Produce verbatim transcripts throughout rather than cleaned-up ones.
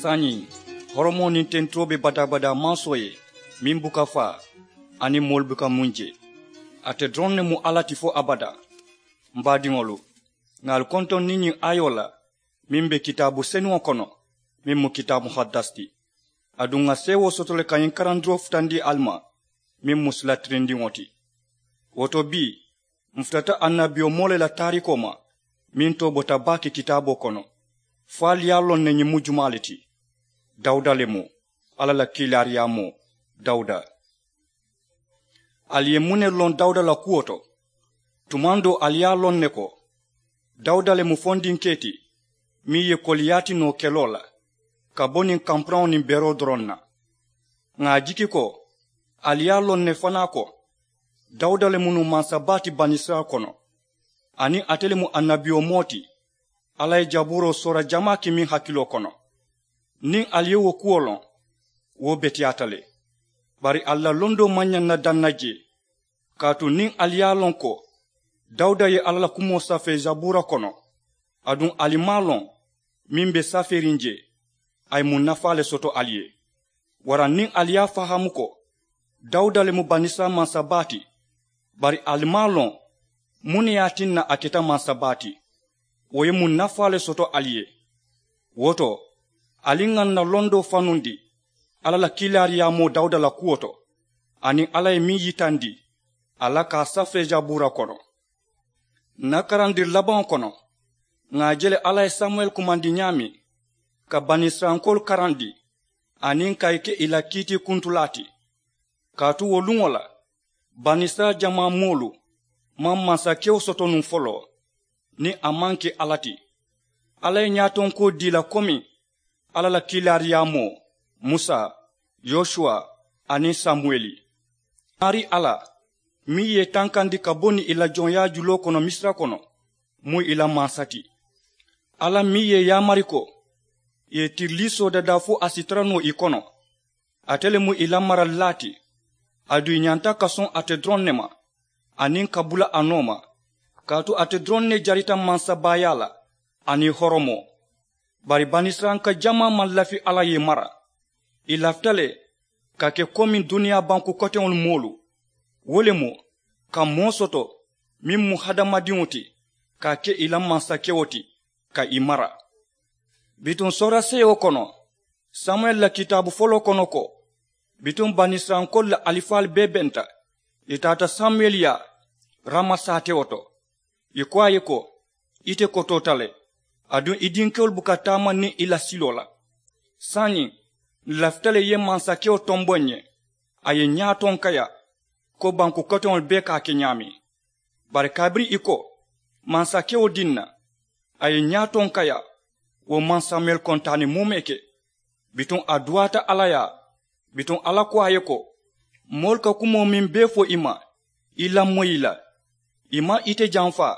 Saayiŋ, horomoo niŋ tenturoo be badaa-badaa mansoo ye, meŋ buka faa aniŋ moolu buka muŋ je. Ate doroŋ ne mu alla ti fo abadaa. M baadiŋolu, ŋà ali kontoŋ niŋ ñiŋ aayoo la meŋ be kitaabu senuŋo kono, meŋ mu kitaabu muhaddasi ti. Aduŋ ŋà seewoo soto le ka ñiŋ karandiroo futandi ali ma, meŋ mu sila tirindiŋo ti. Wo to bii, m futata annabiyomoo le la taarikoo ma, meŋ too bota baake kitaaboo kono, fo ali ye a loŋ ne ñiŋ mu jumaa le ti. Dawuda le mu, alla la kiilaariyaamoo. Dawuda. Ali ye muŋ ne loŋ dawuda la kuwo to? Tumaŋ doo ali ye a loŋ ne ko dawuda le mu fondinkee ti, meŋ ye koliyaati noo keloo la, ka bo niŋ kampuraŋo niŋ beroo doroŋ na. Ŋà a jiki ko ali ye a loŋ ne fanaa ko dawuda le mu nuŋ mansa baa ti banisirayila kono, aniŋ ate le mu annabiyomoo ti. Alla ye jabuuroo soora jamaa ke meŋ hakiloo kono. Niŋ ali ye wo kuwo loŋ, wo beteyaata le. Bari ali la londoo maŋ ñaŋ na daŋ na jee. Kaatu niŋ ali ye a loŋ ko dawuda ye alla la kumoo safee jabuura kono, aduŋ ali maŋ a loŋ meŋ be safeeriŋ jee, a ye muŋ nafaa le soto ali ye? Waraŋ niŋ ali ye a fahaamu ko dawuda le mu banisirayila mansa baa ti, bari ali maŋ a loŋ muŋ ne ye a tinna a keta mansa baa ti, wo ye muŋ nafaa le soto ali ye? Wo to, ali ŋà n na londoo fanundi alla la kiilaariyaamoo dawuda la kuwo to, aniŋ alla ye meŋ yitandi a la ka a safee jabuura kono. N na karandiri labaŋo kono, ŋà a je le alla ye samuwɛli kumandi ñaameŋ ka banisirayilankoolu karandi, aniŋ ka ì ke ì la kiitiikuntulaa ti. Kaatu wo luŋo la, banisirayila jamaa moolu maŋ mansakewo soto nuŋ foloo niŋ a maŋ ke alla ti. Alla ye ñaatonkoo dii ì la komi alla la kiilaariyaamoo, musa, yosuwa, aniŋ samuwɛli. Maarii alla, meŋ ye ì tankandi ka bo niŋ ì la joŋyaa juloo kono misira kono, mu ì la mansa ti. Alla meŋ ye ì yaamari ko ì ye tirilii soodadaa fo a si tara noo ì kono, ate le mu ì la maralilaa ti. Aduŋ ì ñanta ka soŋ ate doroŋ ne ma, aniŋ ka bula a nooma. Kaatu ate doroŋ ne jarita mansabaayaa la aniŋ horomoo. Bari banisirayilanka jamaa maŋ lafi alla ye ì mara. Ì lafita le ka ke komi duniyaa banku koteŋolu moolu, wo le mu ka moo soto meŋ mu hadamadiŋo ti, ka a ke ì la mansakewo ti, ka ì mara. Bituŋ sooraseeyo kono, samuwɛli la kitaabu foloo kono ko, bituŋ banisirayilankoolu la alifaalu bee benta. Ì taata samuwɛli yaa rama saatewo to. Ì ko a ye ko, ite kotoota le, aduŋ i dinkewolu buka taama niŋ i la siloo la. Saayiŋ, n lafita le i ye mansakewo tomboŋ n ye. A ye n ñaatonkaya ko banku koteŋolu bee ka a ke ñaameŋ. Bari kabiriŋ ì ko mansakewo diŋ na, a ye n ñaatonkaya, wo maŋ samuwɛli kontaani muume ke. Bituŋ a duwaata alla yaa. Bituŋ alla ko a ye ko, moolu ka kumoo meŋ bee fo i ma, i lamoyi ì la. Ì maŋ ite janfa,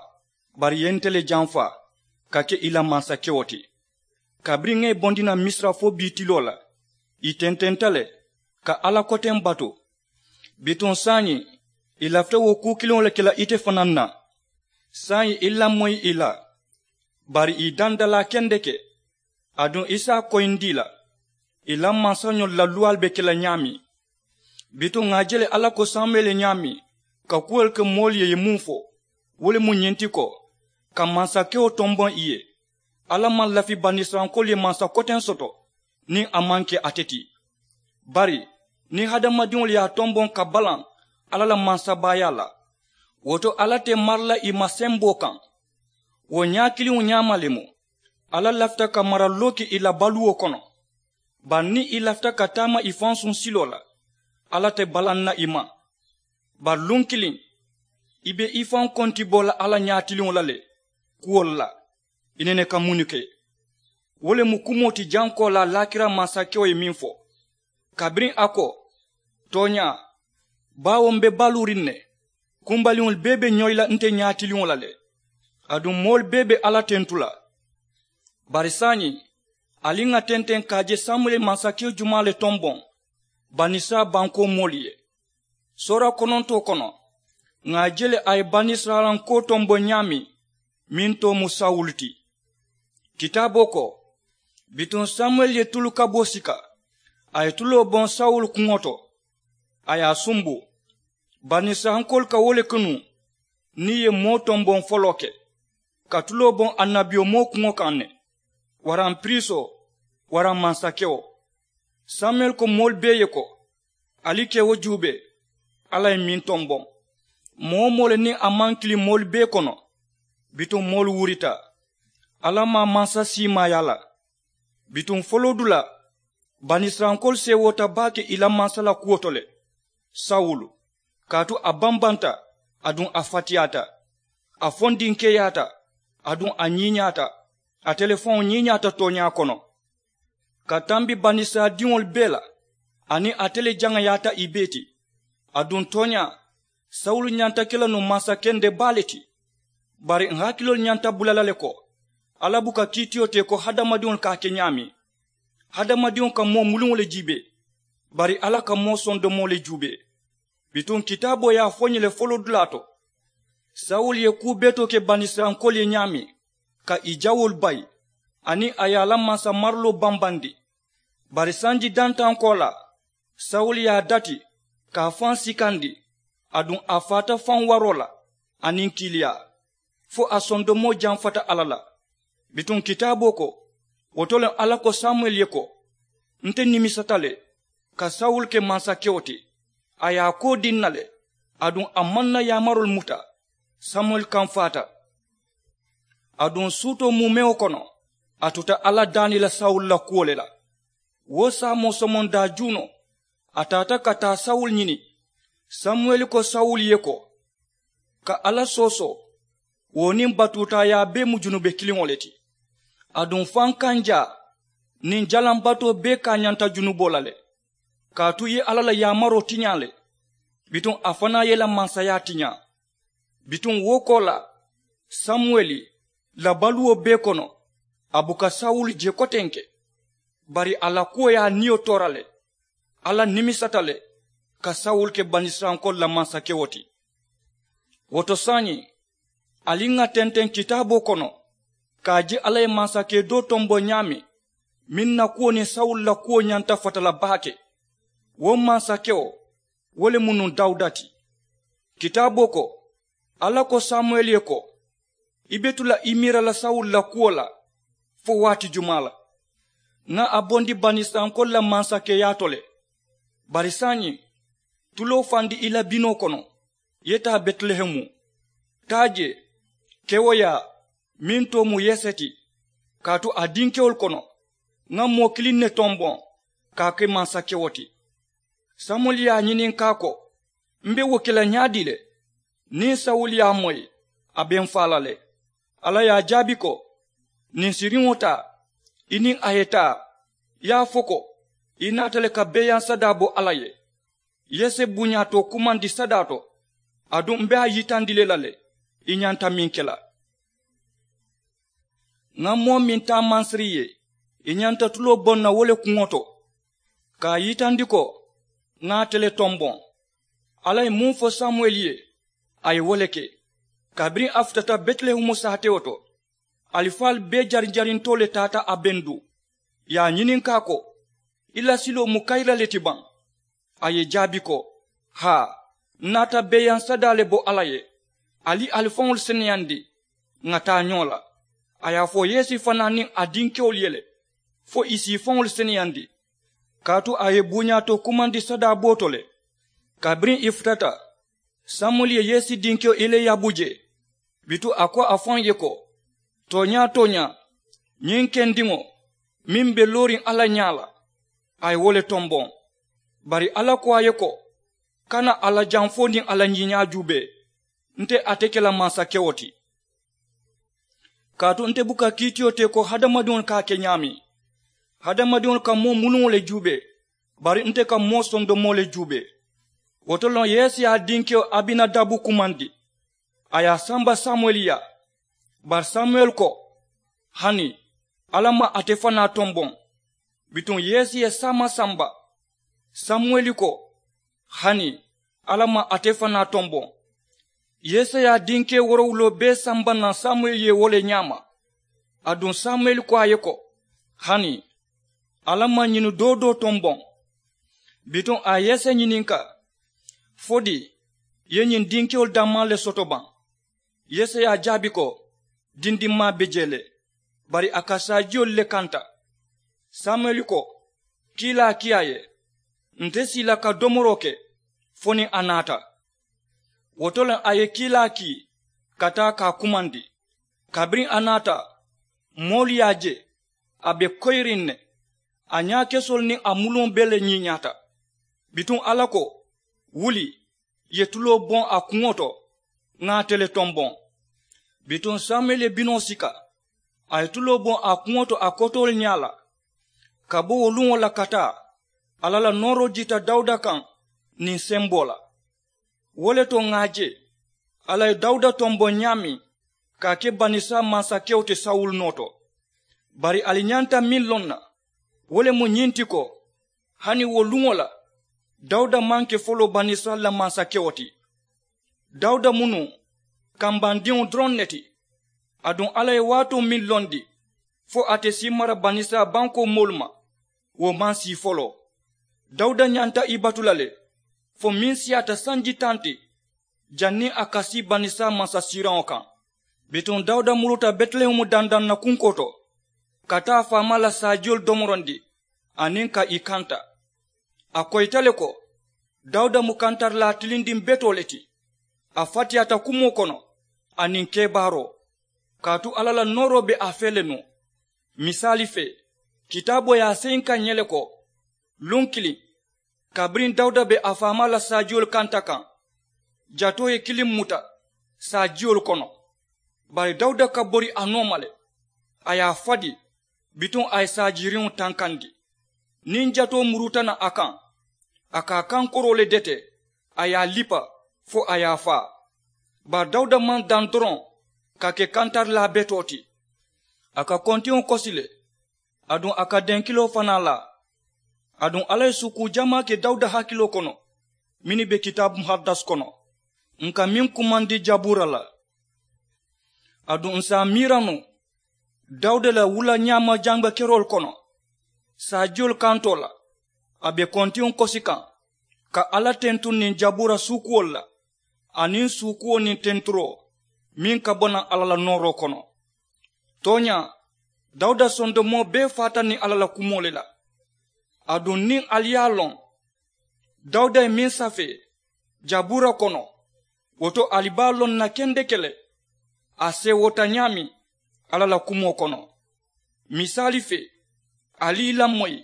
bari ì ye nte le janfa ka ke ì la mansakewo ti. Kabiriŋ ŋa ì bondi naŋ misira fo bii tiloo la, ì tententa le ka alla koteŋ batu. Bituŋ saayiŋ, ì lafita wo kuu kiliŋo le ke la ite fanaa na. Saayiŋ i lamoyi ì la, bari ì dandalaa kendeke. Aduŋ i si a koyindi ì la, ì la mansañolu la luwaalu be ke la ñaameŋ. Bituŋ ŋà a je le alla ko samuwɛli ye ñaameŋ ka kuwolu ke moolu ye ì ye muŋ fo, wo le mu ñiŋ ti ko, ka mansakewo tomboŋ ì ye. Alla maŋ lafi banisirayilankoolu ye mansa koteŋ soto niŋ a maŋ ke ate ti. Bari niŋ hadamadiŋolu ye a tomboŋ ka balaŋ alla la mansabaayaa la, wo to alla te mara la ì ma semboo kaŋ. Wo ñaa kiliŋo ñaama le mu, alla lafita ka mara looki ì la baluwo kono. Bari niŋ ì lafita ka taama ì faŋ suŋ siloo la, alla te balaŋ na ì ma. Bari luŋ kiliŋ, i be i faŋ konti bo la alla ñaatiliŋo la le kuwolu la. I nene ka munnu ke? Wo le mu kumoo ti jankoolaa laakira mansakewo ye meŋ fo, kabiriŋ a ko, tooñaa, baawo m be baluuriŋ ne, kumbaliŋolu bee be ñoyi la nte ñaatiliŋo la le. Aduŋ moolu bee be alla tentu la. Bari saayiŋ, ali ŋà tenteŋ ka a je samuwɛli ye mansakewo jumaa le tomboŋ banisirayila bankoo moolu ye? Soora konontoo kono, ŋà a je le a ye banisirayila nkoo tomboŋ ñaameŋ, meŋ too mu sawulu ti. Kitaaboo ko, Bituŋ samuwɛli ye tulu kaboo sika. A ye tuloo boŋ sawulu kuŋo to. A ye a sumbu. Banisirayilankoolu ka wo le ke nuŋ niŋ ì ye moo tomboŋ foloo ke, ka tuloo boŋ annabiyomoo kuŋo kaŋ ne, waraŋ piriisoo, waraŋ mansakewo. Samuwɛli ko moolu bee ye ko, ali ka wo juubee, alla ye meŋ tomboŋ. Moo-wo-moo le niŋ a maŋ kiliŋ moolu bee kono, bituŋ moolu wurita. Alla maŋ mansa siimaaya la. Bituŋ foloodulaa, banisirayilankoolu seewoota baake ì la mansa la kuwo to le, sawulu. Kaatu a bambanta, aduŋ a fatiyaata. A fondinkeeyaata, aduŋ a ñiiñaata. Ate le faŋo ñiiñaata tooñaa kono, ka tambi banisirayila diŋolu bee la. Aniŋ ate le jaŋayaata ì bee ti. Aduŋ tooñaa, sawulu ñanta ke la nuŋ mansa kende baa le ti. Bari ǹ hakiloolu ñanta bula la le ko, alla buka kiitiyo te ko hadamadiŋolu ka a ke ñaameŋ. Hadamadiŋo ka moo muluŋo le jiibee, bari alla ka moo sondomoo le juubee. Bituŋ kitaaboo ye a fo ñiŋ le foloodulaa to, sawulu ye kuu betoo ke banisirayilankoolu ye ñaameŋ, ka ì jawoolu bayi, aniŋ a ye a la mansa mariloo bambandi. Bari sanji dantaŋ koolaa, sawulu ye a dati, ka a faŋ sikandi, aduŋ a faata faŋ waroo la, aniŋ kiiliyaa, fo a sondomoo jamfata alla la. Bituŋ kitaaboo ko, wo to le alla ko samuwɛli ye ko, nte nimisata le ka sawulu ke mansakewo ti. A ye a koo dii ǹ na le, aduŋ a maŋ ǹ na yaamaroolu muta. Samuwɛli kamfaata. Aduŋ suutoo muumewo kono, a tuta alla daani la sawulu la kuwo le la. Wo saamoo somondaa juunoo, a taata ka taa sawulu ñini. Samuwɛli ko sawulu ye ko, ka alla soosoo, wo niŋ batuutaayaa bee mu junube kiliŋo le ti. Aduŋ fankanjaa niŋ jalaŋ batoo bee kaañanta junuboo la le. Kaatu i ye alla la yaamaroo tiñaa le, bituŋ a fanaa ye i la mansayaa tiñaa. Bituŋ wo koolaa, samuwɛli la baluwo bee kono, a buka sawulu je kotenke. Bari a la kuwo ye a niyo toora le. Alla nimisata le ka sawulu ke banisirayilankoolu la mansakewo ti. Wo to saayiŋ, ali ŋà tenteŋ kitaaboo kono, ka a je alla ye mansakee doo tomboŋ ñaameŋ, meŋ na kuwo niŋ sawulu la kuwo ñanta fata la baake. Wo mansakewo, wo le mu nuŋ dawuda ti. Kitaaboo ko, alla ko samuwɛli ye ko, i be tu la i miira la sawulu la kuwo la fo waati jumaa la? Ŋà a bondi banisirayilankoolu la mansakeyaa to le. Bari saayiŋ, tuloo fandi i la binoo kono, i ye taa betilehemu. Taa jee, kewoyaa meŋ too mu yese ti, kaatu a dinkewolu kono, ŋà moo kiliŋ ne tomboŋ ka a ke mansakewo ti. Samuwɛli ye a ñininkaa ko, m be wo ke la ñaadii le? Niŋ sawulu ye a moyi, a be m faa la le. Alla ye a jaabi ko, niŋ siriŋo taa, i niŋ a ye taa, i ye a fo ko, i naata le ka beeyaŋ sadaa bo alla ye. Yese buñaa to kumandi sadaa to, aduŋ m be a yitandi le la le, i ñanta meŋ ke la. Ŋà moo meŋ taa mansiri ye, i ñanta tuloo boŋ na wo le kuŋo to, ka a yitandi ko, ŋà ate le tomboŋ. Alla ye muŋ fo samuwɛli ye, a ye wo le ke. Kabiriŋ a futata betilehemu saatewo to, alifaalu bee jarinjarintoo le taata a bendu, i ye a ñininkaa ko, i la siloo mu kayira le ti baŋ? A ye jaabi ko, haa, n naata beeyaŋ sadaa le bo alla ye. Ali ali faŋolu seneyandi, ŋà taa ñoo la. A ye a fo yesi fanaa niŋ a dinkewolu ye le, fo ì si i faŋolu seneyandi. Kaatu a ye buñaa to kumandi sadaa boo to le. Kabiriŋ ì futata, samuwɛli ye yesi dinkewo eliyabu je. Bituŋ a ko a faŋ ye ko, tooñaa tooñaa, ñiŋ kendiŋo meŋ be looriŋ alla ñaa la, a ye wo le tomboŋ. Bari alla ko a ye ko, kana a la janfoo niŋ a la ñiiñaa juubee. Nte ate ke la mansakewo ti. Kaatu nte buka kiitiyo te ko hadamadiŋolu ka a ke ñaameŋ. Hadamadiŋolu ka moo muluŋo le juubee, bari nte ka moo sondomoo le juubee. Wo to loŋ yese ye a dinkewo abinadabu kumandi, a ye a samba samuwɛli ye. Bari samuwɛli ko, hani, alla maŋ ate fanaa tomboŋ. Bituŋ yese ye saama samba. Samuwɛli ko, hani, alla maŋ ate fanaa tomboŋ. Yese ye a dinkewo woorowuloo bee samba naŋ samuwɛli ye wo le ñaama. Aduŋ samuwɛli ko a ye ko, Hani alla maŋ ñini doo doo tomboŋ. Bituŋ a ye yese ñininka, fo di i ye ñiŋ dinkewolu dammaa le soto baŋ? Yese ye a jaabi ko, dindimmaa be jee le, bari a ka saajiyolu le kanta. Samuyeli ko, kiilaa kii a ye, nte si i la ka domoroo ke fo niŋ a naata. Wo to le a ye kiilaa kii ka taa ka a kumandi. Kabiriŋ a naata, moolu ye a je a be koyiriŋ ne. A ñaakesoolu niŋ a muluŋo bee le ñiiñaata. Bituŋ alla ko, wuli, i ye tuloo boŋ a kuŋo to, ŋa ate le tomboŋ. Bituŋ samuyeli ye binoo sika, a ye tuloo boŋ a kuŋo to a kotoolu ñaa la. Ka bo wo luŋo la ka taa, alla la nooroo jiita dawuda kaŋ niŋ semboo la. Wo le to ŋà a je, alla ye dawuda tomboŋ ñaameŋ ka a ke banisirayila mansakewo ti sawulu noo to. Bari ali ñanta meŋ loŋ na, wo le mu ñiŋ ti ko, hani wo luŋo la, dawuda maŋ ke foloo banisirayila la mansakewo ti. Dawuda mu nuŋ kambandiŋo doroŋ ne ti. Aduŋ alla ye waatoo meŋ londi fo ate si i mara banisirayila bankoo moolu ma, wo maŋ sii foloo. Dawuda ñanta i batu la le fo meŋ siyaata sanji taŋ ti, janniŋ a ka sii banisirayila mansasiiraŋo kaŋ. Bituŋ dawuda muruta betilehemu dandaŋ na kunkoo to, ka taa faamaa la saajiyolu domorondi aniŋ ka ì kanta. A koyita le ko, dawuda mu kantarilaa tilindiŋ betoo le ti. A fatiyaata kumoo kono aniŋ kebaaroo, kaatu alla la nooroo be a fee le nuŋ. Misaali fee, kitaaboo ye a seyinka ǹ ye le ko, luŋ kiliŋ, kabiriŋ dawuda be a faamaa la saajiyolu kanta kaŋ, jatoo ye kiliŋ muta saajiyolu kono. Bari dawuda ka bori a nooma le, a ye a fadi, bituŋ a ye saajiiriŋo tankandi. Niŋ jatoo muruuta naŋ a kaŋ, a ka a kankoroo le dete, a ye a lipa fo a ye a faa. Bari dawuda maŋ daŋ doroŋ ka ke kantarilaa betoo ti. A ka kontiŋo kosi le, aduŋ a ka denkiloo fanaa laa. Aduŋ alla ye suukuu jamaa ke dawuda hakiloo kono, mennu be kitaabu muhadasi kono, ǹ ka meŋ kumandi jabuura la. Aduŋ ǹ si a miira nuŋ, dawuda la wula ñaama jaŋbakeroolu kono, saajiyolu kantoo la, a be kontiŋo kosi kaŋ, ka alla tentuŋ niŋ jabuura suukuwolu la, aniŋ suukuwo niŋ tenturoo meŋ ka bo naŋ alla la nooroo kono. Tooñaa, dawuda sondomoo bee faata niŋ alla la kumoo le la. Aduŋ niŋ ali ye a loŋ, dawuda ye meŋ safee jabuura kono, wo to ali be a loŋ na kendeke le a seewoota ñaameŋ alla la kumoo kono. Misaali fee, ali i lamoyi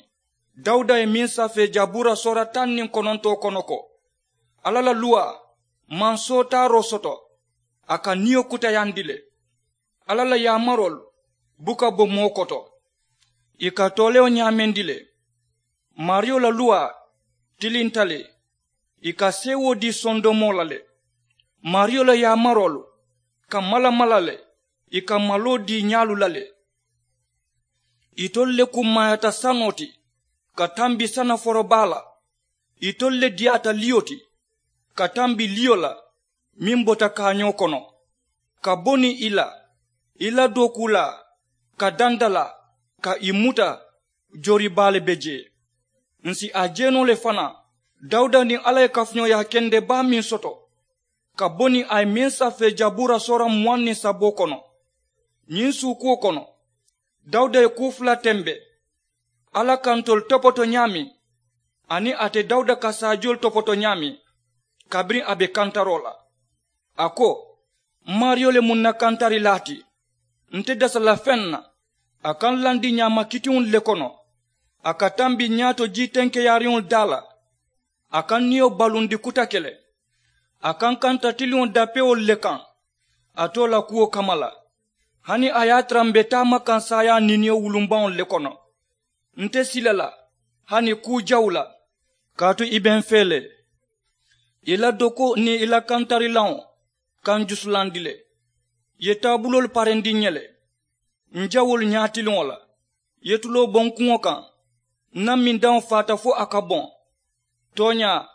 dawuda ye meŋ safee jabuura soora taŋ niŋ konontoo kono ko, alla la luwaa maŋ sootaaroo soto, a ka niyo kutayandi le. Alla la yaamaroolu buka bo moo koto, ì ka toolewo ñaamendi le. Maariyo la luwaa tilinta le, ì ka seewoo dii sondomoo la le. Maariyo la yaamaroolu ka mala mala le, ì ka maloo dii ñaalu la le. Itolu le kummaayaata sanoo ti ka tambi sana forobaa la. Itolu le diyaata liyo ti ka tambi liyo la meŋ bota kaañoo kono, ka bo niŋ i la i la dookuulaa ka dandalaa ka i muta. Joori baa le be jee. Ǹ si a je noo le fanaa dawuda niŋ alla ye kafuñooyaa kende baa meŋ soto ka bo niŋ a ye meŋ safee jabuura soora muwaŋ niŋ saboo kono. Ñiŋ suukuwo kono, dawuda ye kuu fula tembe, alla ka ntolu topoto ñaameŋ aniŋ ate dawuda ka saajiyolu topoto ñaameŋ. Kabiriŋ a be kantaroo la, a ko, m maariyo le mu n na kantarilaa ti. Nte dasa la feŋ na a ka n landi ñaama kitiŋolu le kono. A ka tambi ñaato jii tenkeyaariŋolu daa la. A ka n niyo balundi kutake le. A ka n kanta tiliŋo dapewolu le kaŋ a too la kuwo kamma la. Hani a ye a tara m be taama kaŋ saayaa niiniyo wulumbaŋolu le kono, nte sila la hani kuu jawu la, kaatu i be n fee le. I la dokoo niŋ i la kantarilaŋo ka n jusulandi le. I ye taabuloolu parendi n ye le. N jawoolu ñaatiliŋo la, i ye tuloo bo n kuŋo kaŋ. N na mindaŋo faata fo a ka boŋ. Tooñaa,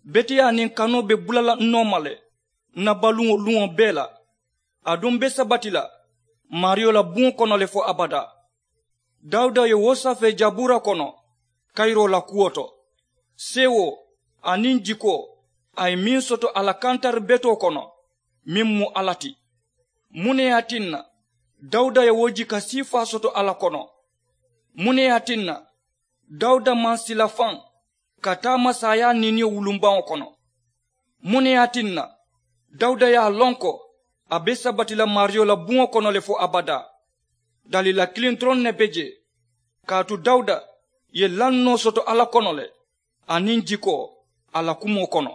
beteyaa niŋ kanoo be bula la n nooma le n na baluŋo luŋo bee la. Aduŋ m be sabati la maariyo la buŋo kono le fo abadaa. Dawuda ye wo safee jabuura kono kayiroo la kuwo to. Seewoo aniŋ jikoo a ye meŋ soto a la kantari betoo kono, meŋ mu alla ti. Muŋ ne ye a tinna dawuda ye wo jika siifaa soto alla kono? Muŋ ne ye a tinna dawuda maŋ sila faŋ ka taama saayaa niiniyo wulumbaŋo kono? Muŋ ne ye a tinna dawuda ye a loŋ ko a be sabati la maariyo la buŋo kono le fo abadaa? Daliila kiliŋ doroŋ ne be jee. Kaatu dawuda ye lannoo soto alla kono le aniŋ jikoo a la kumoo kono.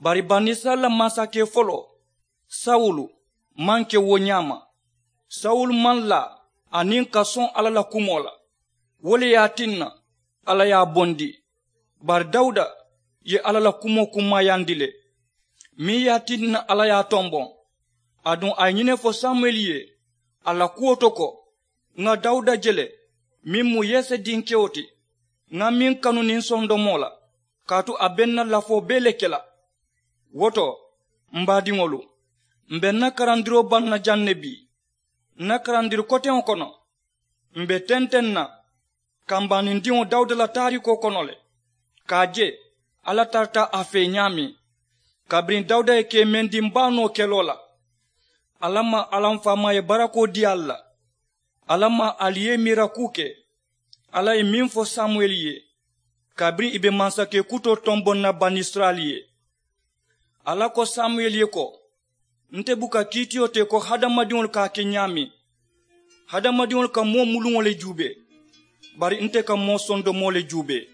Bari banisirayila mansakee foloo sawulu maŋ ke wo ñaama. Sawulu maŋ laa aniŋ ka soŋ alla la kumoo la. Wo le ye a tinna alla ye a bondi. Bari dawuda ye alla la kumoo kummaayandi le meŋ ye a tinna alla ye a tomboŋ. Aduŋ a ye ñiŋ ne fo samuyeli ye a la kuwo to ko, ŋa dawuda je le meŋ mu yese dinkewo ti, ŋa meŋ kanu niŋ sondomoo la, kaatu a be n na lafoo bee le ke la. Wo to m baadiŋolu, m be n na karandiroo baŋ na jaŋ ne bii. N na karandiri koteŋo kono m be tenteŋ na kambaanindiŋo dawuda la taariikoo kono le, ka a je alla tarata a fee ñaameŋ. Kabiriŋ dawuda ye keemendiŋ baa noo keloo la, alla maŋ alla m faamaa ye barakoo dii ali la. Alla maŋ ali ye miira kuu ke. Alla ye meŋ fo samuyeli ye kabiriŋ ì be mansakee kutoo tomboŋ na banisirayila ye. Alla ko samuyeli ye ko, nte buka kiitiyo te ko hadamadiŋolu ka a ke ñaameŋ. Hadamadiŋolu ka moo muluŋo le juubee, bari nte ka moo sondomoo le juubee.